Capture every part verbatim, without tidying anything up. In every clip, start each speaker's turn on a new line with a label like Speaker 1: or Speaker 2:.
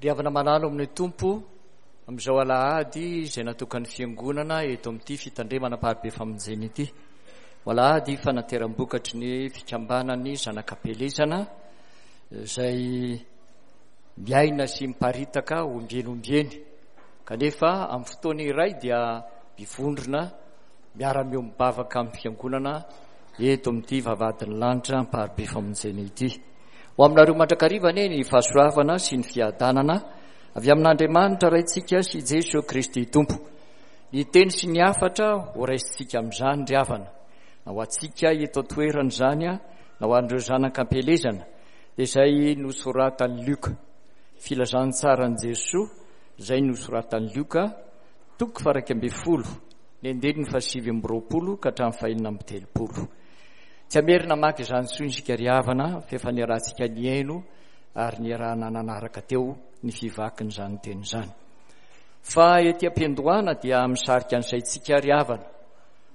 Speaker 1: Ry havana malala ao amin'ny Tompo, amin'izao alahady izay natokan'ny Fiangonana eto amin'ity fitandremana Amparibe Famonjena ity, ho alahady fanateram-bokatry ny fikambanan'ny zanak'Ampielezana izay miaina sy miparitaka ombieny ombieny, kanefa amin'ny fotoana iray dia mivondrona miara-miombom-bavaka amin'ny Fiangonana eto amin'ity vavahadin'ny lanitra Amparibe Famonjena ity. Ho aminareo mandrakariva anie ny fahasoavana sy ny fiadanana avy amin'Andriamanitra Raintsika sy Jesoa Kristy Tompo. Ny teny sy ny hafatra ho raisintsika amin'izany ry havana, na ho antsika eto an-toerana izany, na ho an'ireo zanak'ampielezana, dia izay nosoratan'i Lioka. Filazantsaran'i Jesoa izay nosoratan'i Lioka, toko faha-iraika ambin'ny folo, ny andininy fahasivy amby roapolo ka hatramin'ny fahenina amby telopolo. Tsy hamerina hamaky izany intsony isika ry havana, fa efa niarahantsika nihaino ary niarahana nanaraka teo ny fivakin'izany teny izany. Fa ety am-piandohana dia misarika ny saintsika ry havana,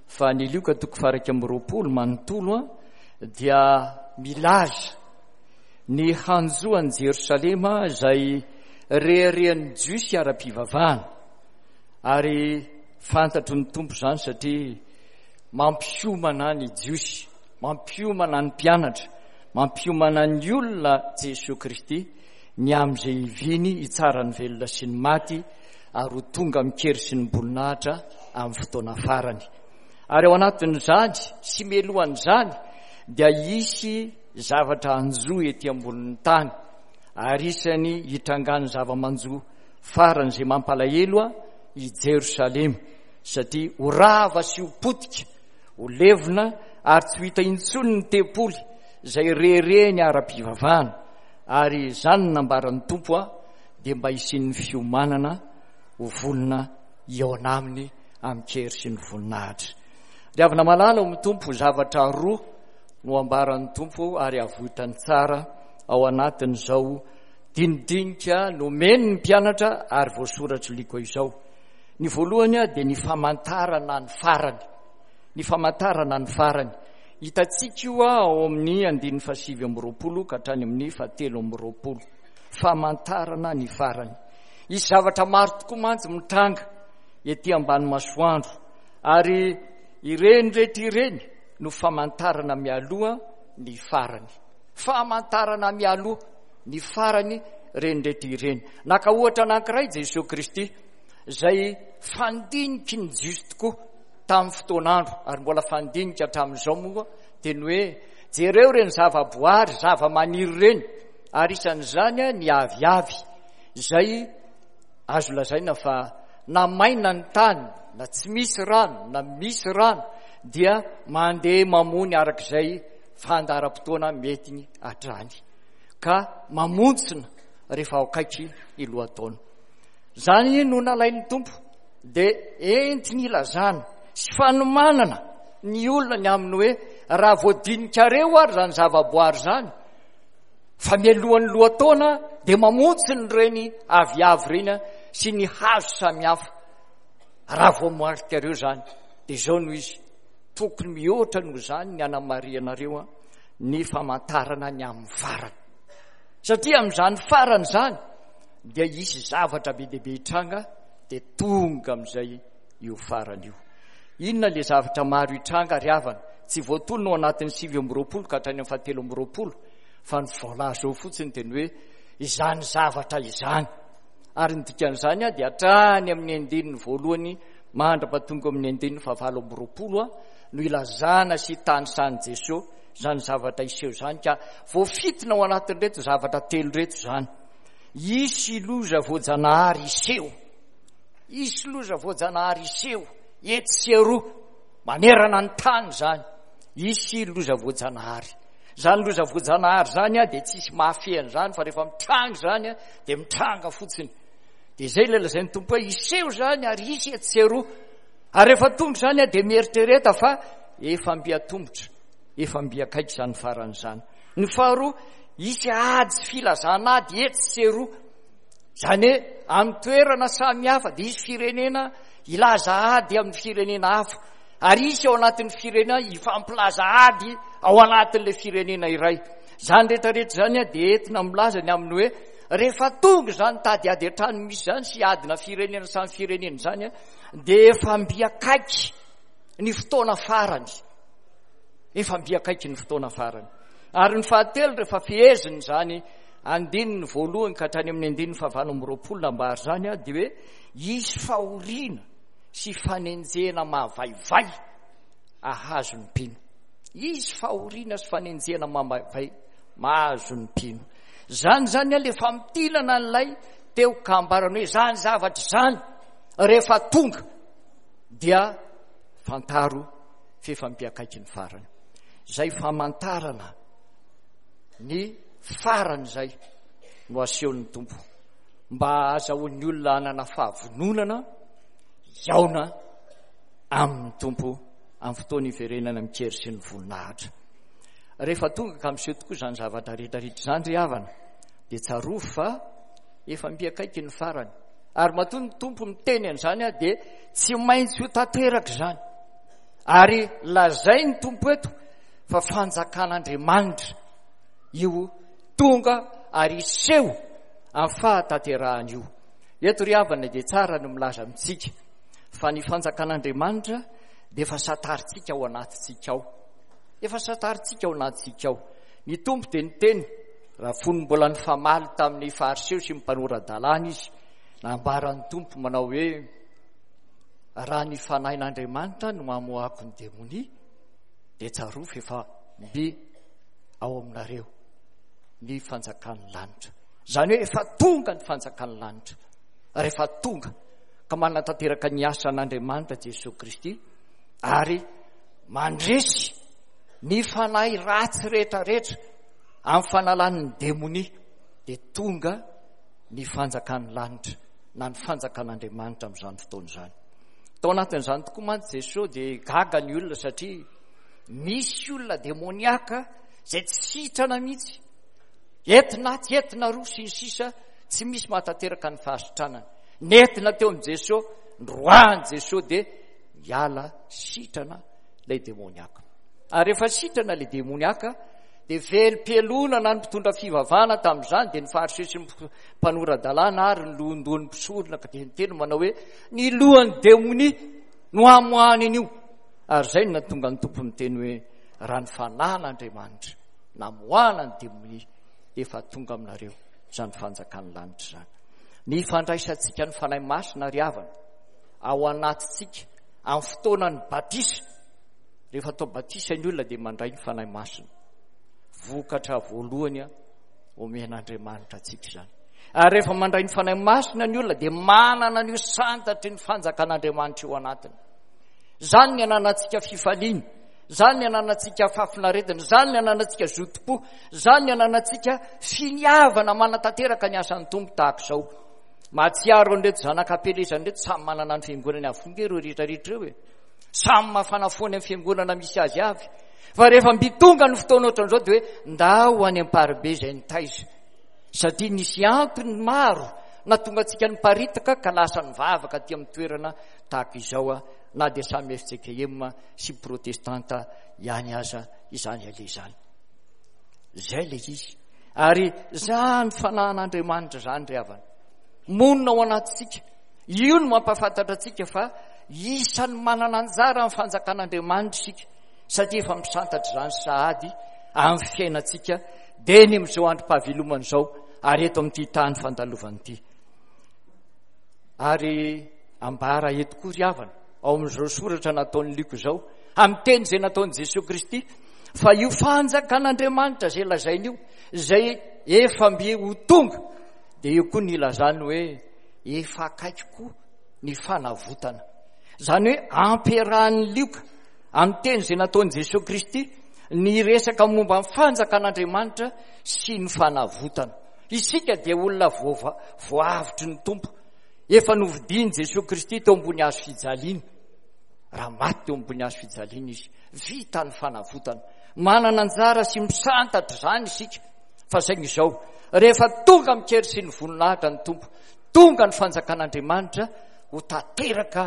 Speaker 1: fa ny Lioka toko faha-iraika amby roapolo manontolo dia milaza ny hanjo an'i Jerosalema izay reharehan'ny Jiosy ara-pivavahana. Ary fantatry ny Tompo izany satria mampiomana ny Jiosy, mampiomana ny mpianatra, mampiomana ny olona Jesoa Kristy ny amin'izay hiviny hitsara ny velona sy ny maty ary ho tonga amin-kery sy ny boninahitra amin'ny fotoana farany. Ary ao anatin'izany sy mialohan'izany dia hisy zavatra hanjo ety ambonin'ny tany, ary isany hitrangan'ny zava-manjo farany izay mampalahelo i Jerosalema, satria ho rava sy ho potika, ho levona ary tsy ho hita intsony ny tempoly izay reherehiny ara-pivavahana. Ary izany no nambaran'ny Tompo a, dia mba hisian'ny fiomanana ho vonona hihaona aminy amin-kery sy ny voninahitra. Ry havana malala ao amin'ny Tompo, zavatra roa no ambaran'ny Tompo ary avoitany tsara ao anatin'izao dinidinika nomeny ny mpianatra ary voasoratr'i Lioka izao. Ny voalohany dia ny famantarana ny farany. Ny famantarana ny farany. Hitantsika io ao amin'ny andininy fahasivy amby roapolo ka hatrany amin'ny fahatelo amby roapolo. Famantarana ny farany. Hisy zavatra maro tokoa mantsy mitranga ety ambany masoandro, ary ireny rehetra ireny no famantarana mialoha ny farany. Famantarana mialoha ny farany ireny rehetra ireny. Naka ohatra anankiray Jesoa Kristy, izay fandiniky ny Jiosy tokoa tamin'ny fotoan'andro, ary mbola fandinika hatramin'izao moa, dia ny hoe jereo ireny zavaboary, zavamaniry ireny, ary isan'izany ny aviavy, izay azo lazaina fa na maina ny tany, na tsy misy rano, na misy rano, dia mandeha mamony arak'izay fandaharam-potoana mety hatrany, ka mamontsina rehefa ao akaiky ny lohataona. Izany no nalain'ny Tompo dia entiny ilazana sy fanomanana ny olona ny amin'ny hoe raha voadinikareo ary izany zavaboary izany, fa mialohan'ny lohataona dia mamontsina ireny aviavy ireny sy ny hazo samihafa. Raha voamarikareo izany, dia izao no izy, tokony mihoatra noho izany ny anamarihanareo ny famantarana ny amin'ny farany. Satria amin'izany farany izany dia hisy zavatra be dia be hitranga, dia tonga amin'izay io farany io. Inona ilay zavatra maro hitranga ry havana? Tsy voatonona ao anatin'ny sivy amby roapolo ka hatrany amin'ny fahatelo amby roapolo, fa ny voalaza ao fotsiny dia ny hoe izany zavatra izany. Ary ny dikan'izany dia hatrany amin'ny andininy voalohany mandra-pahatonga amin'ny andininy fahavalo amby roapolo no ilazana sy tanisan'i Jesoa izany zavatra hiseho izany, ka voafintina ao anatin'ireto zavatra telo ireto izany. Hisy loza voajanahary hiseho. Hisy loza voajanahary hiseho etsy sy eroa manerana ny tany izany. Hisy loza voajanahary. Izany loza voajanahary izany dia tsisy mahafehy an'izany, fa rehefa mitranga izany dia mitranga fotsiny. Dia izay ilay lazain'ny Tompo hoe hiseho izany ary hisy etsy sy eroa. Ary rehefa tonga izany dia mieritrereta fa efa mby atomotra, efa mby akaiky izany farany izany. Ny faharoa, hisy ady sy filazana ady etsy sy eroa. Izany hoe amin'ny toerana samihafa dia hisy firenena hilaza ady amin'ny firenena hafa, ary hisy ao anatin'ny firenena hifampilaza ady ao anatin'ilay firenena iray. Izany rehetrarehetra izany dia entina milaza ny amin'ny hoe rehefa tonga izany tady ady an-trano misy izany sy adina firenena samy firenena izany, dia efa mby akaiky ny fotoana farany. Efa mby akaiky ny fotoana farany. Ary ny fahatelo, rehefa feheziny izany andininy voalohany ka hatrany amin'ny andininy fahavalo amby roapolo nambary izany, dia hoe hisy fahoriana sy fanenjehana mahavaivay ahazo ny mpino. Hisy fahoriana sy fanenjehana mahavaivay mahazo ny mpino. Zany zany ilay famintinana an'ilay teo ka ambarany hoe zany zavatra izany rehefa tonga dia fantaro f'efa mby akaiky ny farany. Izay famantarana ny farany izay no asehon'ny Tompo mba ahazahoan'ny olona hanana fahavononana hihaona amin'ny Tompo amin'ny fotoana iverenana amin-kery sy ny voninahitra. Rehefa tonga ka miseho tokoa izany zavatra rehetrarehetra izany ry havana, dia tsarovy fa efa mby akaiky ny farany. Ary matoa ny Tompo miteny an'izany, dia tsy maintsy ho tanteraka izany. Ary lazain'ny Tompo eto fa fanjakan'Andriamanitra io tonga ary hiseho amin'ny fahatanterahany io. Eto ry havana dia tsara ny milaza amintsika fa ny fanjakan'Andriamanitra dia efa santarintsika ao anatintsika ao. Efa santarintsika ao anatintsika ao. Ny Tompo dia niteny raha fony mbola nifamaly tamin'ny Fariseo sy ny mpanora-dalàna izy, nambaran'ny Tompo manao hoe raha ny fanahin'Andriamanitra no mamoahako ny demonia dia tsarovy efa mby ao aminareo ny fanjakan'ny lanitra. Izany hoe efa tonga ny fanjakan'ny lanitra. Rehefa tonga ka manatanteraka ny asan'Andriamanitra Jesosy Kristy ary mandresy ny fanahy ratsy rehetrarehetra amin'ny fanalan'ny demonia, dia tonga ny fanjakan'ny lanitra na ny fanjakan'Andriamanitra amin'izany fotoana izany. Tao anatin'izany tokoa mantsy Jesosy dia gaga ny olona satria misy olona demoniaka izay tsy sitrana mihitsy, entina atsy, entina aroa sy ny sisa, tsy misy mahatanteraka ny fahasitranana. Nentina teo amin'i Jesosy, noroahan'i Jesosy dia miala sitrana ilay demoniaka. Ary rehefa sitrana ilay demoniaka dia velom-pialonana ny mpitondra fivavahana tamin'izany, dia ny Fariseo sy ny mpanora-dalàna ary ny lohandohan'ny mpisorona, ka dia niteny manao hoe ny lohan'ny demonia no hamoahany an'io. Ary izay no nahatonga ny Tompo miteny hoe raha ny fanahin'Andriamanitra namoahana ny demonia, efa tonga aminareo izany fanjakan'ny lanitra izany. Ny fandraisantsika ny Fanahy Masina ry havana ao anatintsika amin'ny fotoanan'ny batisa, rehefa atao batisa ny olona dia mandray ny Fanahy Masina. Vokatra voalohany omen'Andriamanitra antsika izany. Ary rehefa mandray ny Fanahy Masina ny olona dia manana an'io santatry ny fanjakan'Andriamanitra io anatiny. Izany ny ananantsika fifaliana, izany ny ananantsika fahafinaretana, izany ny ananantsika zotom-po, izany ny ananantsika finiavana manatanteraka ny asan'ny Tompo tahaka izao. Mahatsiaro an'ireto zanak'Ampelezana ireto, samy manana ny fiangonany avokoa nge ireo rehetrarehetra ireo e. Samy mafana foana amin'ny fiangonana misy azy avy. Fa rehefa mby tonga ny fotoana ohatran'izao dia hoe ndao any Amparibe izay nitaiza. Satria nisy antony maro nahatonga antsika niparitaka ka lasa nivavaka aty amin'ny toerana tahaka izao, na dia samy F C K M sy protestanta ihany aza izany aleha izany. Izay ilay izy. Ary izany fanahin'Andriamanitra izany ry havana monina ao anatintsika. Io no mampahafantatra antsika fa isan'ny manana anjara amin'ny fanjakan'Andriamanitra isika, satria efa misantatra izany sahady amin'ny fiainantsika dia ny amin'izao androm-pahavelomana izao ary eto amin'ity tany fandalovana ity. Ary ambara eto koa ry havana ao amin'izao soratra nataon'i Lioka izao, amin'ny teny izay nataon'i Jesosy Kristy, fa io fanjakan'Andriamanitra izay lazainy io, izay efa mby ho tonga, dia io koa ny ilazany hoe efa akaiky koa ny fanavotana. Izany hoe ampiarahan'i Lioka amin'ny teny izay nataon'i Jesosy Kristy ny resaka momba ny fanjakan'Andriamanitra sy ny fanavotana. Isika dia olona voava-, voavotry ny Tompo, efa novidian'i Jesosy Kristy teo ambony hazo fijaliana. Raha maty teo ambony hazo fijaliana izy, vita ny fanavotana. Manana anjara sy misantatra izany isika. Fa saingy izao, rehefa tonga amin-kery sy ny voninahitra ny Tompo, tonga ny fanjakan'Andriamanitra, ho tanteraka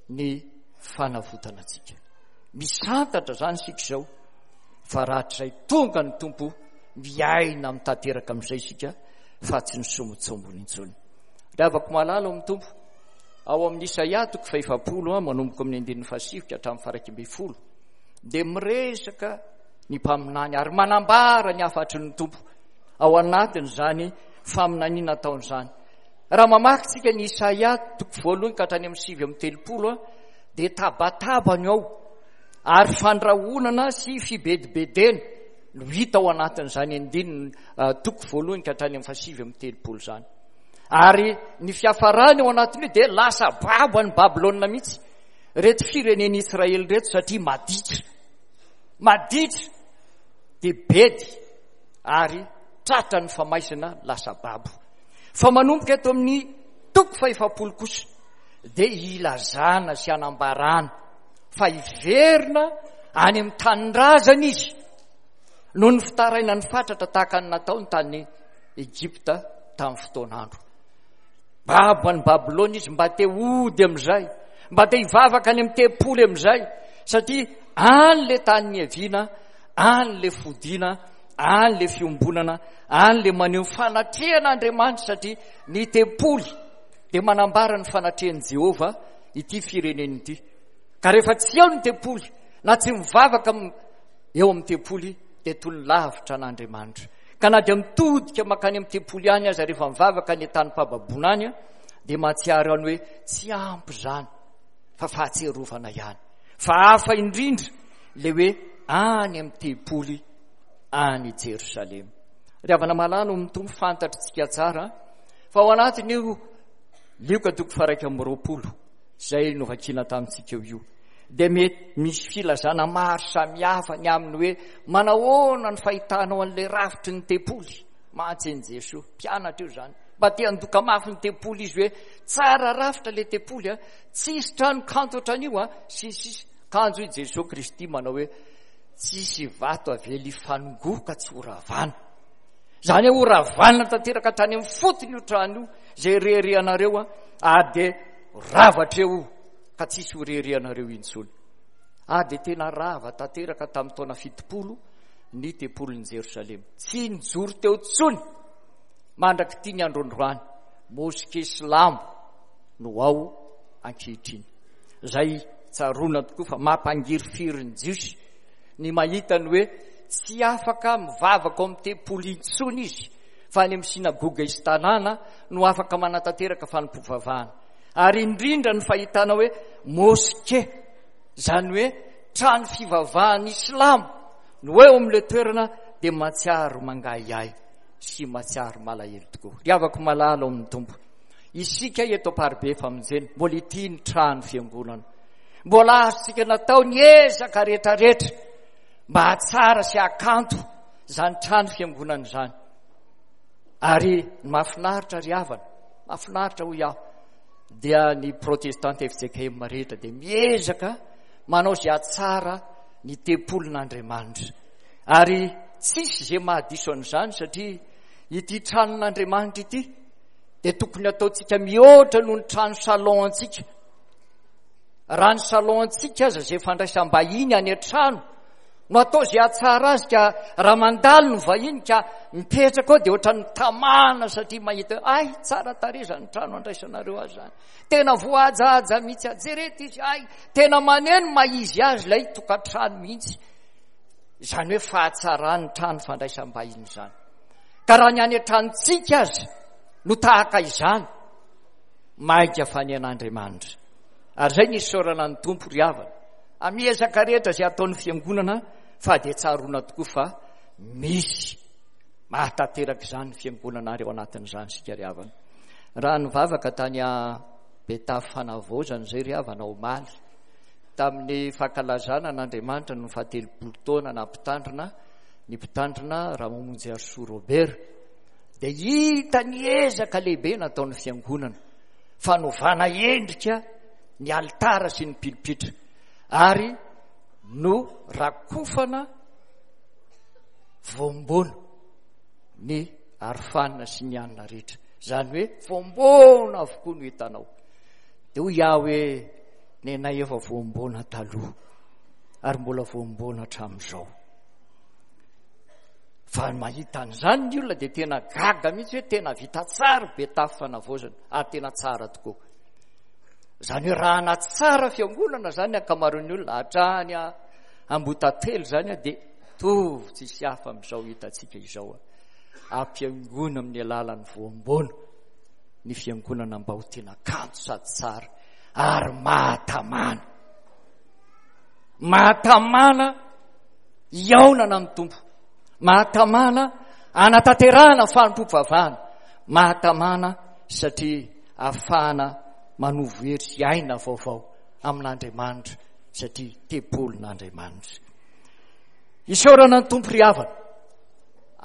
Speaker 1: ny fanavotana antsika. Misantatra izany isika izao, fa rahatrizay tonga ny Tompo, miaina amin'ny tanteraka amin'izay isika, fa tsy ny sombintsombiny intsony. Ry havako malala ao amin'ny Tompo, ao amin'ny Isaia toko fahefapolo manomboka amin'ny andininy fahasivy ka hatramin'ny faha-iraika ambin'ny folo dia miresaka ny mpaminany ary manambara ny hafatry ny Tompo ao anatin'izany faminaniana ataon'izany. Raha mamaky tsika ny Isaia toko voalohany ka hatrany amin'ny sivy amby telopolo dia tabatabany ao ary fandrahonana sy fibedibedena no hita ao anatin'izany andininy toko voalohany ka hatrany amin'ny fahasivy amby telopolo izany. Ary ny fiafarany ao anatin'io dia lasa babo any Babylona mihitsy reto firenen'i Israely reto satria maditra, maditra dia bedy ary tratra ny famaizana lasa babo. Fa manomboka eto amin'ny toko fahefapolo kosa dia ilazana sy anambarana fa hiverina any amin'ny tanindrazana izy noho ny fitarainany fatratra tahaka ny nataony tany Egypta tamin'ny fotoan'andro. Babo any Babylona izy mba te hody amin'izay, mba te hivavaka any amin'ny tempoly amin'izay, satria any le tany niaviana, any le fodiana, any le fiombonana, any le maneho fanatrehan'Andriamanitra, satria ny tempoly dia manambara ny fanatrehan'i Jehovah ity firenena ity. Ka rehefa tsy eo ny tempoly na tsy mivavaka eo amin'ny tempoly dia toy ny lavitra an'Andriamanitra. Ka na dia mitodika mankany amin'ny tempoly ihany aza rehefa mivavaka any an-tanim-pahababoana any dia mahatsiaro ihany hoe tsy ampy izany fa fahatsiarovana ihany. Fa hafa indrindra ilay hoe any amin'ny tempoly any Jerosalema. Ry havana malala ao amin'ny Tompo, fantatritsika tsara fa ao anatin'io Lioka toko faha-iraika amby roapolo izay novakiana tamintsika eo io dia mety misy filazana maro samihafa ny amin'ny hoe manahoana ny fahitanao an'ilay rafitry ny tempoly. Mantsy an'i Jesoa, mpianatra io izany, mba te handoka mafy ny tempoly izy hoe tsara rafitra ilay tempoly, a, tsisy trano kanto ohatran'io, a, sy ny sisa. Kanjo i Jesoa Kristy manao hoe tsisy vato avela hifanongoa ka tsy horavana. Izany hoe horavana tanteraka hatrany amin'ny fotony io trano io izay reharehanareo, a, ary dia rava hatreo io ka tsisy ho reharehanareo intsony. Ary dia tena rava tanteraka tamin'ny taona fitopolo ny tempolin'i Jerosalema. Tsy nijoro teo intsony mandrak'ity ny androandroany. Moske silamo no ao ankehitriny. Izay tsaroana tokoa fa mampangirifiry ny Jiosy ny mahita ny hoe tsy afaka mivavaka ao amin'ny tempoly intsony izy fa any amin'ny sinagoga isan-tanàna no afaka manatanteraka fanompoam-pivavahana. Ary indrindra ny fahitana hoe moske, izany hoe trano fivavahan'ny silamo no eo amin'ilay toerana, dia mahatsiaro mangahiahy sy mahatsiaro malahelo tokoa. Ry havako malala ao amin'ny Tompo, isika eto Amparibe Famonjena mbola ity ny trano fiangonana, mbola azontsika natao ny ezaka rehetrarehetra mba hahatsara sy hahakanto izany trano fiangonana izany. Ary ny mahafinaritra ry havana, mahafinaritra hoy aho, dia ny protestanta F J K M rehetra dia miezaka manao izay hahatsara ny tempolin'Andriamanitra. Ary tsisy izay mahadiso an'izany, satria ity tranon'Andriamanitra ity dia tokony ataontsika mihoatra noho ny trano salon antsika. Raha ny salon antsika aza izay fandraisam-bahiny any an-trano no atao izay hahatsara azy, ka raha mandalo ny vahiny ka mipetraka ao dia ohatran'ny tamana satria mahita hoe ay tsara tarehy izany trano andraisanareo azy izany, tena voahajahaja mihitsy, ajerety izy, ay tena maneno maha-izy azy ilay tokantrano mihitsy. Izany hoe fahatsaran'ny trano fandraisam-bahiny izany. Ka raha ny any an-tranontsika aza no tahaka izany, mainka fa ny an'Andriamanitra. Ary izay ny isaorana ny Tompo ry havana, amin'ny ezaka rehetra izay ataon'ny fiangonana, fa dia tsaroana tokoa fa misy mahatanteraka izany ny fiangonana, ary ao anatin'izany isika ry havana. Raha nivavaka tany Betafo Fanavaozana izay ry havana omaly, tamin'ny fankalazana an'Andriamanitra no fahatelopolo taona nampitandrina ny mpitandrina Ramamonjiarisoa Robert, dia hita ny ezaka lehibe nataon'ny fiangonana, fanovana endrika ny alitara sy ny pilipitra, ary no rakofana voamboana ny arofanina sy ny hanina rehetra. Izany hoe voamboana avokoa no hitanao. Dia hoy aho hoe nenay efa voamboana taloha ary mbola voamboana hatramin'izao. Fa mahita an'izany ny olona dia tena gaga mihitsy hoe tena vita tsara Betafo fanavaozana ary tena tsara tokoa. Izany hoe raha natsara fiangonana izany ny ankamaroan'ny olona hatrany Ambohitatelo izany dia mitovy tsisy hafa amin'izao hitantsika izao. Ampiangoana amin'ny alalan'ny voamboana ny fiangonana mba ho tena kanto sady tsara ary mahatamana. Mahatamana hihaonana amin'ny Tompo. Mahatamana hanatanterahana fanompoam-pivavahana. Mahatamana satria ahafahana manovo hery sy aina vaovao amin'Andriamanitra satria tempolin'Andriamanitra. Isaorana ny Tompo ry havana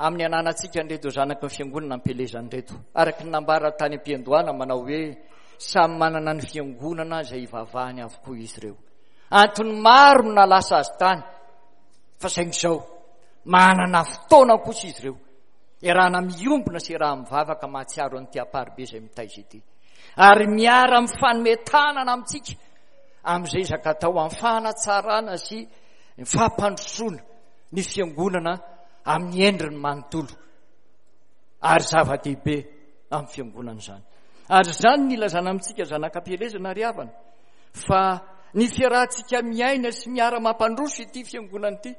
Speaker 1: amin'ny ananantsika an'ireto zanaky ny fiangonana ampielezana ireto. Araka ny nambara tany am-piandohana manao hoe samy manana ny fiangonana izay ivavahany avokoa izy ireo. Antony maro no nahalasa azy tany, fa saingy izao manana fotoana kosa izy ireo iarahana miombona sy iaraha-mivavaka mahatsiaro an'ity Amparibe izay mitaiza ity. Ary miara-mifanome tanana amintsika amin'izay ezaka atao amin'ny fanatsarana sy ny fampandrosoana ny fiangonana amin'ny endriny manontolo. Ary zava-dehibe amin'ny fiangonana izany. Ary izany no ilazana amintsika zanak'ampielezana ry havana, fa ny fiarahantsika miaina sy miara-mampandroso ity fiangonana ity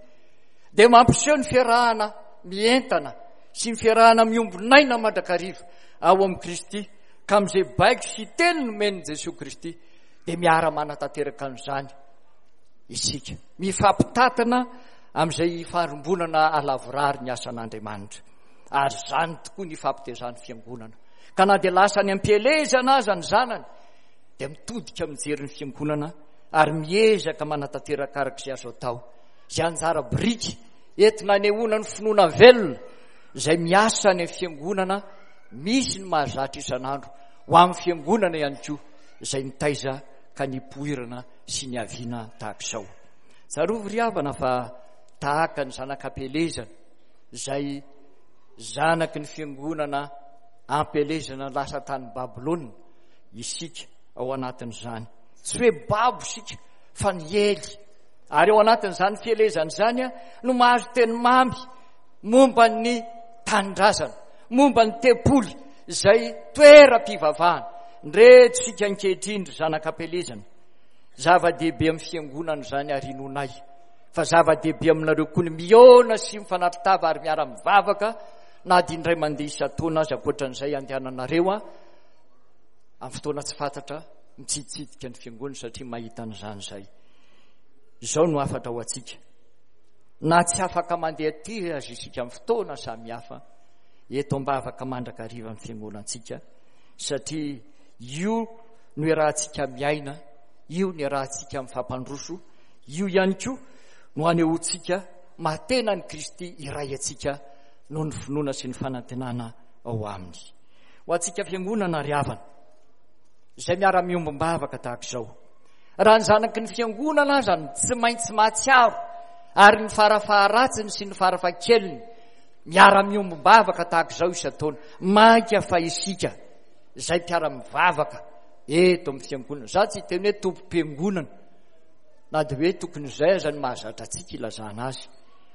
Speaker 1: dia mampiseho ny fiarahana mientana sy ny fiarahana miombon'aina mandrakariva ao amin'i Kristy, ka amin'izay baiko sy teny nomen'i Jesoa Kristy dia miara-manatanteraka an'izany isika. Mifampitantana amin'izay ifarimbonana halavorary ny asan'Andriamanitra. Ary izany tokoa ny ifampitezan'ny fiangonana. Ka na dia lasa any am-pielezana aza ny zanany dia mitodika mijery ny fiangonana ary miezaka manatanteraka araka izay azo atao. Izay anjara biriky entina anehoana ny finoana velona izay miasa any amin'ny fiangonana misy ny mahazatra isan'andro ho amin'ny fiangonana ihany koa izay nitaiza ka nipoirana sy niaviana tahaka izao. Tsarovy ry havana fa tahaka ny zanak'ampielezana izay zanaky ny fiangonana ampielezana lasa tany Babylona isika ao anatin'izany. Tsy hoe babo isika fa niely. Ary ao anatin'izany fielezana izany no mahazo teny mamy momba ny tanindrazana, momba ny tempoly izay toeram-pivavahana. Ndreto isika ankehitriny ry zanak'ampielezana. Zava-dehibe amin'ny fiangonana izany ary inoanay fa zava-dehibe aminareo koa ny mihaona sy mifanatri-tava ary miara-mivavaka na dia indray mandeha isan-taona aza ankoatran'izay andehananareo a amin'ny fotoana tsy fantatra mitsiditsidika ny fiangonana satria mahita an'izany izay. Izao no hafatra ho antsika. Na tsy afaka mandeha aty aza isika amin'ny fotoana samihafa, eto am-bavaka mandrakariva ny fiangonantsika satria io no iarahantsika miaina, io no iarahantsika mifampandroso, io ihany koa no anehoantsika mahatena an'i Kristy iray antsika noho ny finoana sy ny fanantenana ao aminy. Ho antsika fiangonana ry havana izay miara-miombom-bavaka tahaka izao, raha ny zanaky ny fiangonana aza no tsy maintsy mahatsiaro ary ny farafaharatsiny sy ny farafahakeliny miara-miombom-bavaka tahaka izao isan-taona, mainka fa isika izay mpiara-mivavaka eto amin'ny fiangonana. Za tsy hiteny hoe tompom-piangonana na dia hoe tokony izay aza no mahazatra antsika ilazana azy,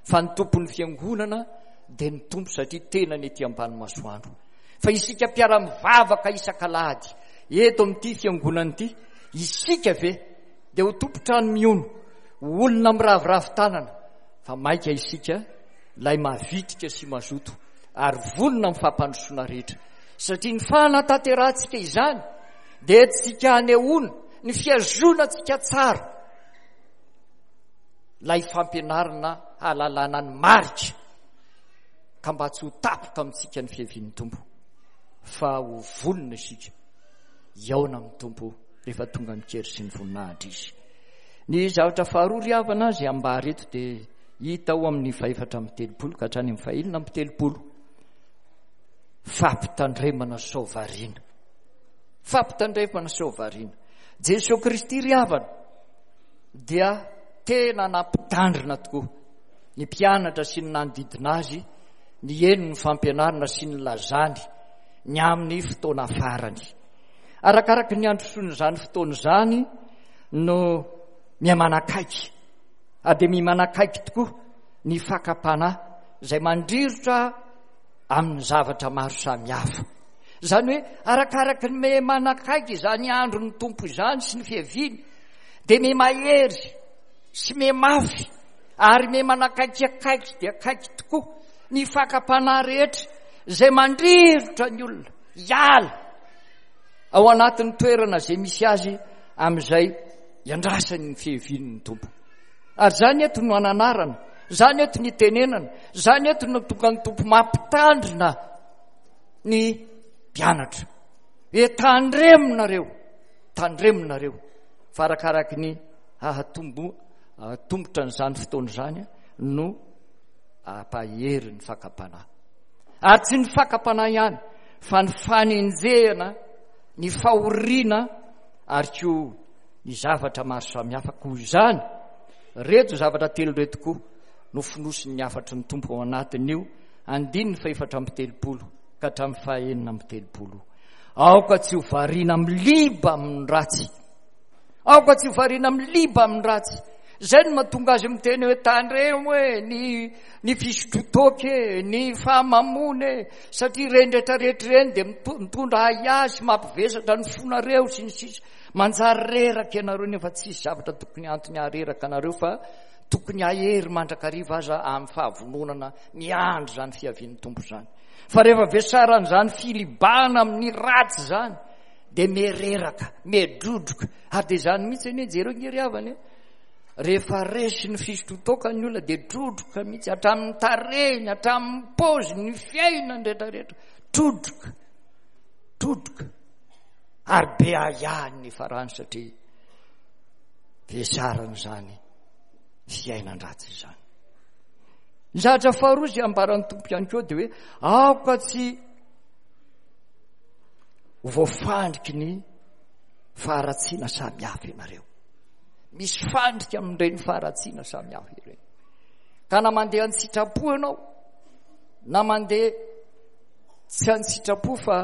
Speaker 1: fa ny tompon'ny fiangonana dia ny Tompo satria tenany ety ambany masoandro. Fa isika mpiara-mivavaka isak'alahady eto amin'ity fiangonana ity, isika ve dia ho tompon-trano mihono, ho olona miraviravy tanana, fa mainka isika ilay mavitrika sy mazoto ary vonona amin'ny fampandrosoana rehetra, satria ny fanatanterahantsika izany dia entintsika hanehoana ny fihazonantsika tsara ilay fampianarana hahalalana ny marika, ka mba tsy ho tapoka amintsika ny fiavian'ny Tompo, fa ho vonona isika hihaona amin'ny Tompo rehefa tonga ny kery sy ny voninahitra izy. Ny zavatra faharoa ry havana izay ambara eto dia hita ao amin'ny fahefatra amby telopolo ka hatrany amin'ny fahenina amby telopolo. Fampitandremana sao variana. Fampitandremana sao variana. Jesoa Kristy ry havana dia tena nampitandrina tokoa ny mpianatra sy ny nanodidina azy nihaino ny fampianarana sy ny lazany ny amin'ny fotoana farany. Arakaraka ny androsoan'izany fotoana izany no mihamanakaiky, ary dia mihamanakaiky tokoa ny fakam-panahy izay mandrirotra amin'ny zavatra maro samihafa. Izany hoe arakaraky ny me manakaiky izany andron'ny Tompo izany sy ny fiaviany, dia me mahery sy me mafy ary me manakaiky akaiky dia akaiky tokoa ny fakam-panahy rehetra izay mandrirotra ny olona hiala ao anatin'ny toerana izay misy azy amin'izay iandrasany ny fiavian'ny Tompo. Ary izany eto no ananarana, izany eto ny itenenana, izany eto no tonga ny Tompo mampitandrina ny mpianatra. Hoe tandremonareo, tandremonareo, fa arakaraky ny hahatombo, hahatombotra an'izany fotoana izany no hampahery ny fakam-panahy. Ary tsy ny fakam-panahy ihany, fa ny fanenjehana, ny fahoriana ary koa ny zavatra maro samihafa. Koa izany, reto zavatra telo reto koa no fonosin'ny hafatry ny Tompo ao anatin'io andininy fahefatra amby telopolo ka hatramin'ny fahenina amby telopolo. Aoka tsy ho variana miliba amin'ny ratsy. Aoka tsy ho variana miliba amin'ny ratsy. Izay no mahatonga azy miteny hoe tandremo e, ny, ny fisotrotoaka e, ny fahamamoana e, satria ireny rehetrarehetra ireny dia mitondra ahiahy sy mampivesatra ny fonareo sy ny sisa. Manjary reraka ianareo nefa tsisy zavatra tokony antony hahareraka anareo fa tokony hahery mandrakariva aza amin'ny fahavononana miandry izany fiavian'ny Tompo izany. Fa rehefa vesaran'izany filibana amin'ny ratsy izany dia mereraka, medrodroka. Ary dia izany mihitsy anie, jereo nge ry havana e. Rehefa resy ny fisotrotoaka ny olona dia drodroka mihitsy hatramin'ny tarehiny, hatramin'ny paoziny, ny fiainany rehetrarehetra. Drodroka, drodroka. Ary be ahiahy ny farany satria vesaran'izany fiainan-dratsy izany. Ny zavatra faharoa izay ambaran'ny Tompo ihany koa dia hoe aoka tsy ho voafandriky ny faharatsiana samihafa ianareo. Misy fandrika amin'ireny faharatsiana samihafa ireny. Ka na mandeha an-tsitrapo ianao, na mandeha tsy an-tsitrapo fa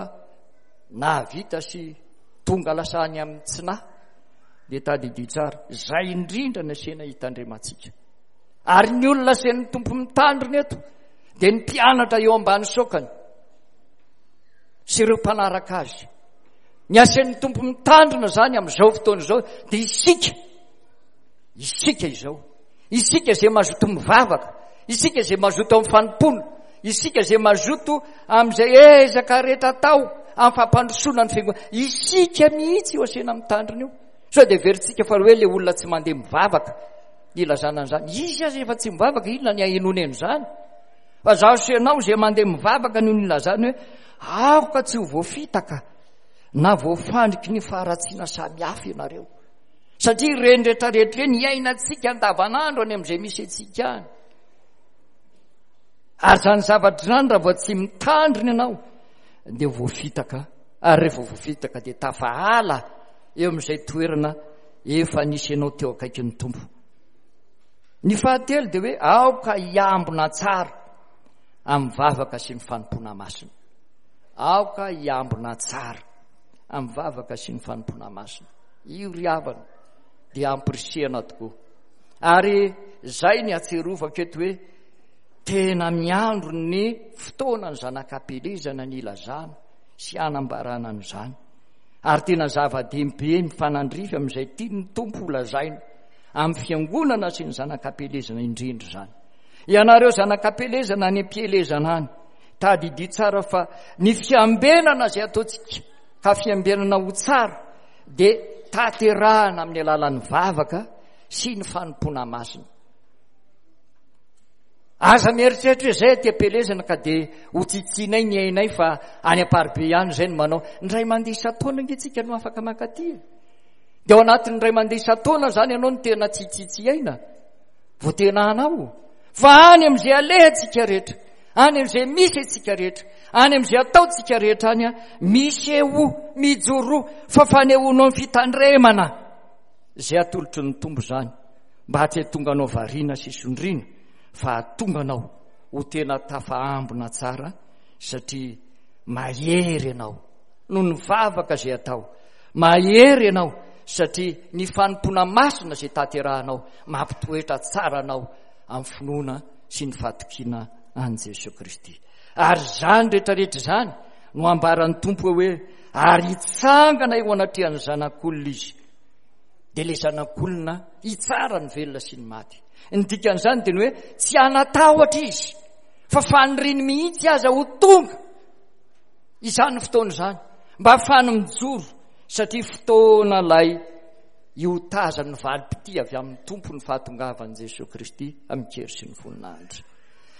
Speaker 1: nahavita sy tonga lasa any amin'ny tsy nahy, dia tadidio tsara, izay indrindra no asiana hitandremantsika. Ary ny olona asian'ny Tompo mitandrina eto dia ny mpianatra eo ambany sokany sy ireo mpanaraka azy. Ny asian'ny Tompo mitandrina izany amin'izao fotoana izao dia isika, isika izao, isika izay mazoto mivavaka, isika izay mazoto amin'ny fanompoana, isika izay mazoto amin'izay ezaka rehetra atao amin'ny fampandrosoana ny fiangonana. Isika mihitsy io asiana mitandrina io. Sao dia heverintsika fa hoe ilay olona tsy mandeha mivavaka ny ilazana an'izany. Izy aza efa tsy mivavaka, inona ny ahenoany an'izany? Fa zaho sy ianao izay mandeha mivavaka no nilazany hoe aoka tsy ho voafitaka na voafandriky ny faharatsiana samihafa ianareo. Satria ireny rehetrarehetra ireny iainantsika andavanandro any amin'izay misy antsika any. Ary izany zavatra izany raha vao tsy mitandrina ianao dia voafitaka, ary rehefa voafitaka dia tafahala eo amin'izay toerana efa nisy anao teo akaikin'ny Tompo. Ny fahatelo dia hoe aoka hiambina tsara amin'ny vavaka sy ny fanompoana masina. Aoka hiambina tsara amin'ny vavaka sy ny fanompoana masina. Io ry havana dia ampirisihana tokoa. Ary izay ny ahatsiarovako eto hoe tena miandro ny fotoana ny zanak'ampelezana ny ilazana sy hanambarana an'izany. Ary tena zava-dehibe mifanandrify amin'izay tian'ny Tompo holazaina amin'ny fiangonana sy ny zanak'ampelezana indrindra izany. Ianareo zanak'ampelezana any am-pielezana any, tadidio tsara fa ny fiambenana izay ataontsika ka fiambenana ho tsara dia tanterahana amin'ny alalan'ny vavaka sy ny fanompoana masina. Aza mieritreritra hoe izay aty am-pielezana ka dia ho tsitsinay ny ainay fa any am-paribe ihany izay no manao. Ny ray mandeha isan-taona ange tsika no afaka mankaty e. Dia ao anatin'ny ray mandeha isan-taona izany ianao no tena tsitsitsy aina, vao tena hanao. Fa any amin'izay alehantsika rehetra, any amin'izay misy antsika rehetra, any amin'izay ataontsika rehetra any, misehoa, mijoroa, fa fanehoanao ny fitandremana izay atolotry ny Tompo izany, mba tsy hahatonga anao variana sy sondriana, fa hahatonga anao ho tena tafaambina tsara, satria mahery ianao noho ny vavaka izay atao. Mahery ianao satria ny fanompoana masina izay tanterahanao mampitoetra tsara anao amin'ny finoana sy ny fahatokiana an'i Jesoa Kristy. Ary izany rehetrarehetra izany no ambaran'ny Tompo hoe ary hitsangana eo anatrehan'ny Zanak'olona izy. Dia ilay Zanak'olona hitsara ny velona sy ny maty. Ny dikan'izany dia ny hoe tsy hanatahotra izy, fa faniriany mihitsy aza ho tonga izany fotoana izany, mba hahafahany mijoro, satria fotoana ilay hiotazan'ny valim-pitia avy amin'ny Tompo ny fahatongavan'i Jesoa Kristy amin-kery sy ny voninahitra.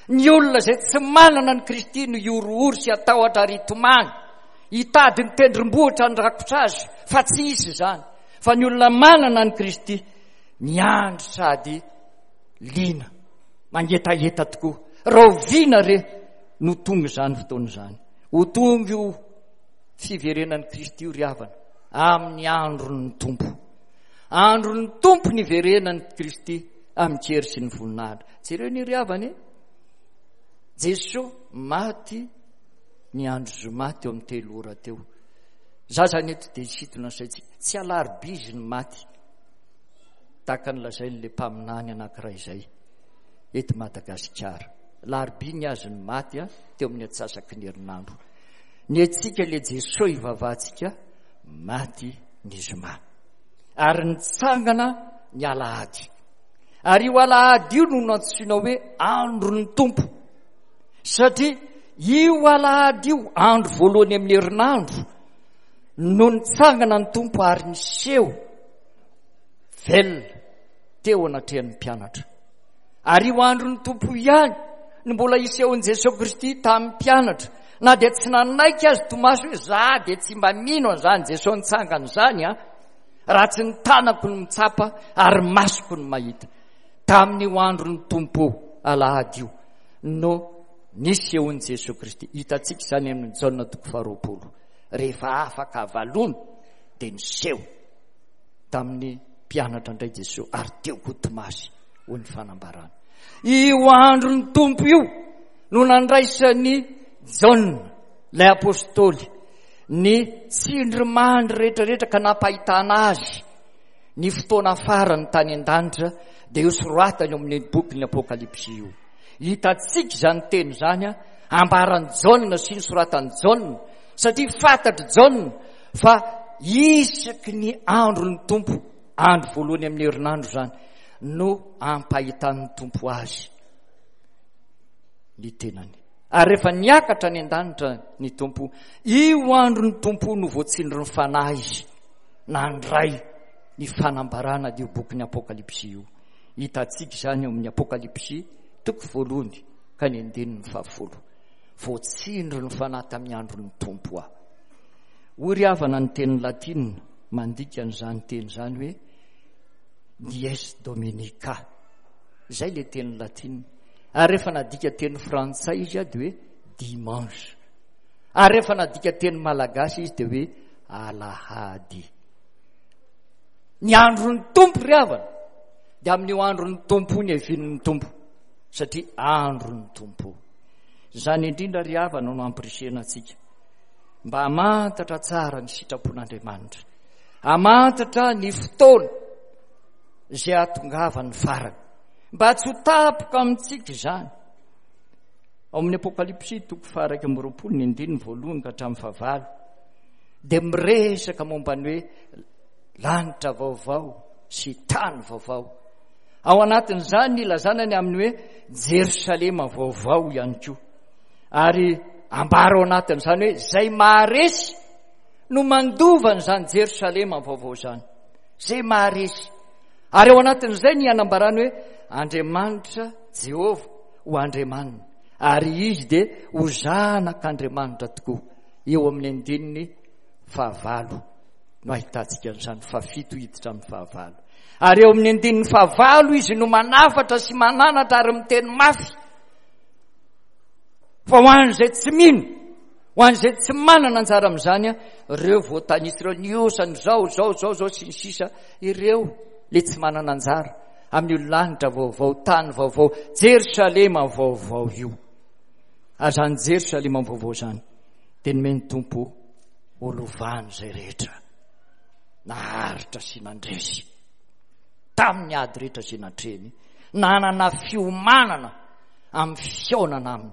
Speaker 1: Ny olona izay tsy manana an'i Kristy no hihorohoro sy hatahotra ary hitomany, hitady ny tendrombohitra handrakotra azy, fa tsy hisy izany. Fa ny olona manana an'i Kristy miandry sady liana, mangetaheta tokoa. Rahoviana re no tonga izany fotoana izany? Ho tonga io fiverenan'i Kristy io ry havana, amin'ny andron'ny Tompo. Andron'ny Tompo ny hiverenan'i Kristy amin-kery sy ny voninahitra. Jereo ny ry havana e. Jesoa maty ny andro zoma teo amin'ny telo ora teo. Za zany eto dia hisintona ny saintsika. Tsy alarobia izy ny maty. Tahaka ny lazain'ilay mpaminany anankiray izay eto Madagasikara. Alarobia ny azy ny maty a, teo amin'ny antsasaky ny herinandro. Ny antsika ilay Jesoa ivavahantsika maty ny zoma. Ary nitsangana ny alahady. Ary io alahady io no nantsoina hoe andron'ny Tompo. Satria io alahady io, andro voalohany amin'ny herinandro, no nitsangana ny Tompo ary niseho velona teo anatrehan'ny mpianatra. Ary io andron'ny Tompo ihany no mbola hisehoan'i Jesoa Kristy tamin'ny mpianatra. Na dia tsy nanaiky azy Tomasy hoe za dia tsy mba mino an'izany Jesoa nitsangana izany an, raha tsy ny tanako no mitsapa ary masoko no mahita. Tamin'io andron'ny Tompo alahady io no nisehoan'i Jesoa Kristy. Hitantsika izany amin'ny Jaona toko faharoapolo. Rehefa afaka avalona dia niseho tamin'ny mpianatra indray Jesoa ary teo koa Tomasy, hoy ny fanambarana. Io andron'ny Tompo io no nandraisan'i Jaona, ilay apostoly, ny tsindrimandry rehetrarehetra ka nampahitana azy ny fotoana farany tany an-danitra, dia io soratany eo amin'ny bokin'ny Apokalypsy io. Hitantsika izany teny izany ambaran'i Jaona sy ny soratan'i Jaona, satria fantatr'i Jaona fa isaky ny andron'ny Tompo, andro voalohany amin'ny herinandro izany, no ampahitan'ny Tompo azy ny tenany. Ary rehefa niakatra any an-danitra ny Tompo, io andron'ny Tompo no voatsindrin'ny Fanahy izy nandray ny fanambarana io bokin'ny Apokalypsy io. Hitantsika izany eo amin'ny Apokalypsy toko voalohany ka ny andininy fahafolo. Voatsindrin'ny Fanahy tamin'ny andron'ny Tompo aho. Hoy ry havana ny teny latina mandika an'izany teny izany hoe dies dominica. Izay ilay teny latina. Ary rehefa nadika teny frantsay izy dia hoe dimanche. Ary rehefa nadika teny malagasy izy dia hoe alahady. Ny andron'ny Tompo ry havana dia amin'io andron'ny Tompo ny avian'ny Tompo, satria andron'ny Tompo. Izany indrindra ry havana no ampirisihana antsika mba hamantatra tsara ny sitrapon'Andriamanitra, hamantatra ny fotoana izay hahatongavan'ny farany, mba tsy ho tapoka amintsika izany. Ao amin'ny Apokalypsy toko faha-iraika amby roapolo ny andininy voalohany ka hatramin'ny fahavalo dia miresaka momba ny hoe lanitra vaovao sy tany vaovao. Ao anatin'izany ny ilazana ny amin'ny hoe Jerosalema vaovao ihany koa. Ary ambara ao anatin'izany hoe izay maharesy no mandova an'izany Jerosalema vaovao izany. Izay maharesy. Ary ao anatin'izay ny anambarany hoe Andriamanitra Jehovah ho Andriamaniny, ary izy dia ho zanak'Andriamanitra tokoa. Eo amin'ny andininy fahavalo no ahitantsika an'izany, fahafito hiditra amin'ny fahavalo. Ary eo amin'ny andininy fahavalo izy no manafatra sy mananatra ary miteny mafy fa ho an'izay tsy mino, ho an'izay tsy manana anjara amin'izany, ireo voatanisa ireo, ny osany izao, izao, izao, izao sy ny sisa, ireo le tsy manana anjara amin'io lanitra vaovao, tany vaovao, Jerosalema vaovao io. Ary izany Jerosalema vaovao izany dia nomen'ny Tompo ho lovany izay rehetra naharitra sy nandresy tamin'ny ady rehetra izay natrehiny, nanana fiomanana amin'ny fihaonana aminy,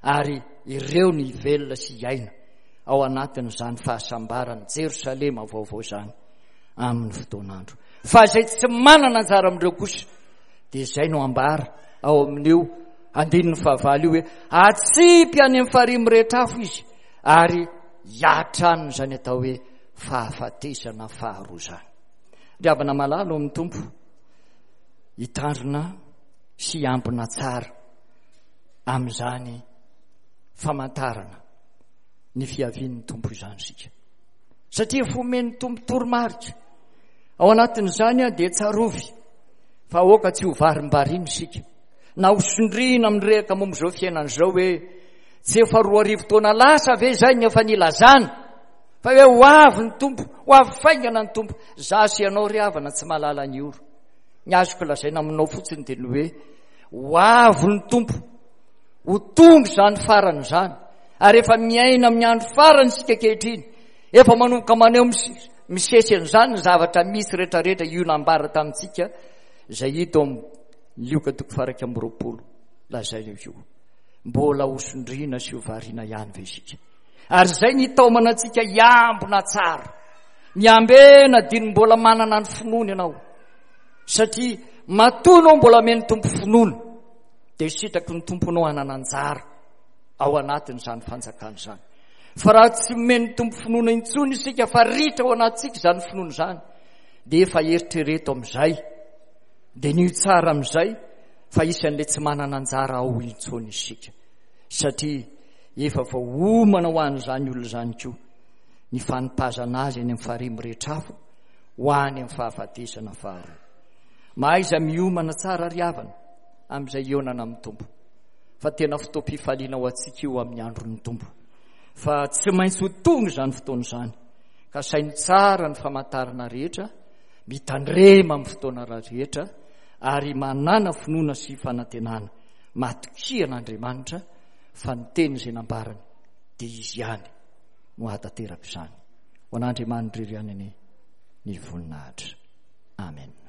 Speaker 1: ary ireo ny hivelona sy hiaina ao anatin'izany fahasambaran'i Jerosalema vaovao izany amin'ny fotoan'andro. Fa izay tsy manana anjara amin'ireo kosa dia izay no ambara ao amin'io andininy fahavalo io hoe atsipy any amin'ny farihy mirehitra afo izy ary hiatraniny izany atao hoe fahafatesana faharoa izany. Ry havana malala ao amin'ny Tompo, hitandrina sy hiambina tsara amin'izany famantarana ny fiavian'ny Tompo izany isika, satria efa omen'ny Tompo toromarika ao anatin'izany dia tsarovy fa aoka tsy ho varimbarina isika na ho sondriana amin'ny rehaka momba izao fiainana izao hoe tsy efa roa arivo taona lasa ve izay ny efa nilazana fa hoe ho avy ny Tompo, ho avy faingana ny Tompo. Za sy ianao ry havana tsy mahalala ny ora. Ny azoko lazaina aminao fotsiny dia ny hoe ho avy ny Tompo, ho tonga izany farany izany, ary efa miaina amin'ny andro farany isika ankehitriny. Efa manomboka maneho misesy an'izany ny zavatra misy rehetrarehetra io nambara tamintsika izay hita ao amin'ny Lioka toko faha iraika amby roapolo lazaina io. Mbola ho sondriana sy ho variana ihany ve isika? Ary izay ny hitaomana antsika hiambina tsara. Miambena diny mbola manana ny finoana ianao, satria matoa anao mbola amen'ny Tompo finoana dia sitraky ny Tomponao hanana anjara ao anatin'izany fanjakana izany. Fa raha tsy omen'ny Tompo finoana intsony isika, fa ritra ao anatintsika izany finoana izany, dia efa eritrereto amin'izay, dia nio tsara amin'izay fa isan'ilay tsy manana anjara ao intsony isika, satria efa voaomana ho an'izany olona izany koa ny fanipazana azy any amin'ny farihy mirehitra afo ho any amin'ny fahafatesana faharoa. Mahaiza miomana tsara ry havana amin'izay hihaonana amin'ny Tompo, fa tena fotoam-pifaliana ho antsika io amin'ny andron'ny Tompo, fa tsy maintsy ho tonga izany fotoana izany, ka saino tsara ny famantarana rehetra, mitandrema amin'ny fotoana rehetra, ary manana finoana sy fanantenana, matokia an'Andriamanitra fa ny teny izay nambarany dia izy ihany no hahatanteraka izany. Ho an'Andriamanitra irery ihany anie ny voninahitra. Amen.